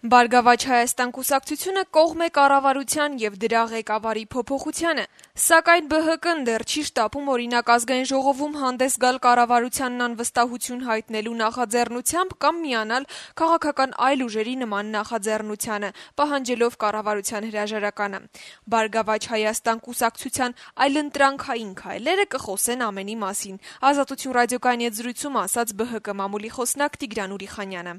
Բարգավաճ Հայաստան կուսակցությունը կողմ է կառավարության եւ դրա ղեկավարի փոփոխությանը, սակայն ԲՀԿ-ն դեռ չի շտապում օրինակ Ազգային ժողովում հանդես գալ կառավարությանն անվստահություն հայտնելու նախաձեռնությամբ կամ միանալ քաղաքական այլ ուժերի նման նախաձեռնությանը, պահանջելով կառավարության հրաժարականը։ Բարգավաճ Հայաստան կուսակցության այլընտրանքային քայլերը կխոսեն ամենի մասին։ Ազատություն ռադիոկայանի հետ զրույցում ասաց ԲՀԿ մամուլի խոսնակ Տիգրան Ուրիխանյանը։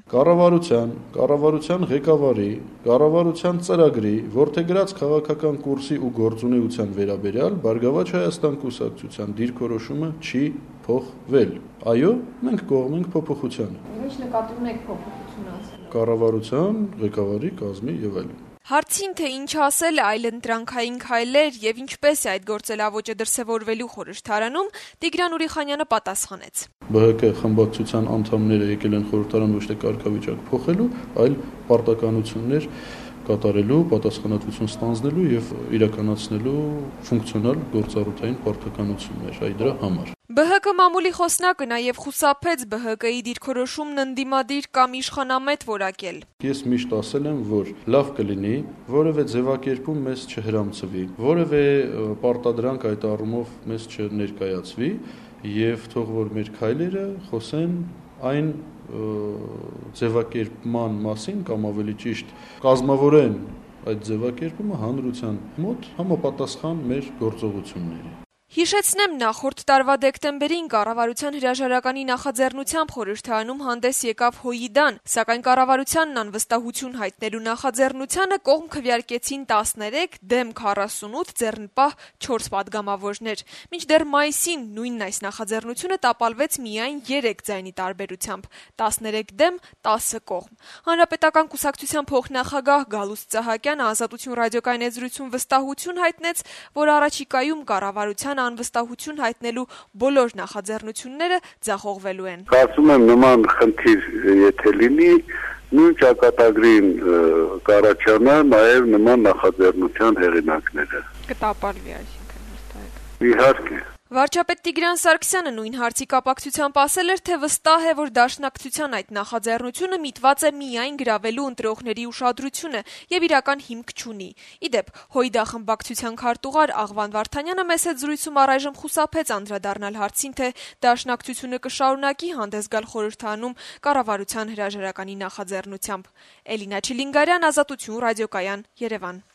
Կառավարության ղեկավարի, կառավարության ծրագրի, որդեգրած քաղաքական կուրսի ու գործունեության վերաբերյալ Բարգավաճ Հայաստան կուսակցության դիրքորոշումը չի փոխվել։ Այո, մենք կողմ ենք փոփոխությանը։ Ինչ նկատի ունեք փոփոխություն ասել։ Կառավարության ղեկավարի կազմի եւ այլն։ Հարցին, թե ինչ ասել այլընտրանքային քայլեր եւ ինչպես է այդ գործելավոճը դրսեւորվելու խորհրդարանում, Տիգրան Ուրիխանյանը պատասխանեց. ԲՀԿ խմբակցության անդամները եկել են խորհրդարան ոչ թե կարգավիճակ փոխելու, այլ պարտականություններ կատարելու, պատասխանատվություն ստանձնելու եւ իրականացնելու ֆունկցիոնալ գործառութային պարտականություններ այ դրա համար։ ԲՀԿ մամուլի խոսնակը նաև խուսափեց ԲՀԿ-ի դիրքորոշումն ընդդիմադիր կամ իշխանամետ որակել։ Ես միշտ ասել եմ, որ լավ կլինի որևէ ձևակերպում մեզ չհրամցվի, որևէ պարտադրանք այդ առումով մեզ չներկայացվի եւ թող որ մեր քայլերը խոսեն այն ձևակերպման մասին կամ ավելի ճիշտ կազմավորեն այդ ձևակերպումը հանրության մոտ համապատասխան մեր գործողությունների։ Հիշեցնեմ, նախորդ տարվա դեկտեմբերին կառավարության հրաժարականի նախաձեռնությամբ խորհրդարանում հանդես եկավ ՀՅԴ-ն, սակայն կառավարությանն անվստահություն հայտնելու նախաձեռնությանը կողմ քվեարկեցին 13, դեմ 48, ձեռնպահ 4 պատգամավորներ։ Մինչդեռ մայիսին նույնն այս նախաձեռնությունը տապալվեց միայն 3 ձայնի տարբերությամբ՝ 13 դեմ, 10 կողմ։ Հանրապետական կուսակցության փոխնախագահ Գալուստ Սահակյանը Ազատություն ռադիոկայանի հետ զրույցում վստահություն հայտնեց, որ առաջիկայում կառավարության անվստահություն հայտնելու բոլոր նախաձեռնությունները ձախողվելու են։ Կարծում եմ նման խնդիր եթե լինի, նույն ճակատագրին կառաջանա նաև նման նախաձեռնության հեղինակները։ Կտապալվի, այսինքն հստակ։ Իհարկե։ Վարչապետ Տիգրան Սարգսյանը նույն հարցի կապակցությամբ ասել էր, թե վստահ է, որ Դաշնակցության այդ նախաձեռնությունը միտված է միայն գրավելու ընտրողների ուշադրությունը եւ իրական հիմք չունի։ Իդեպ, ՀՅԴ խմբակցության քարտուղար Աղվան Վարդանյանը մեծ հետ զրույցում առայժմ խուսափեց անդրադառնալ հարցին, թե Դաշնակցությունը կշարունակի հանդես գալ խորհրդարանում կառավարության հրաժարականի նախաձեռնությամբ։ Էլինա Չիլինգարյան, Ազատություն ռադիոկայան, Երևան։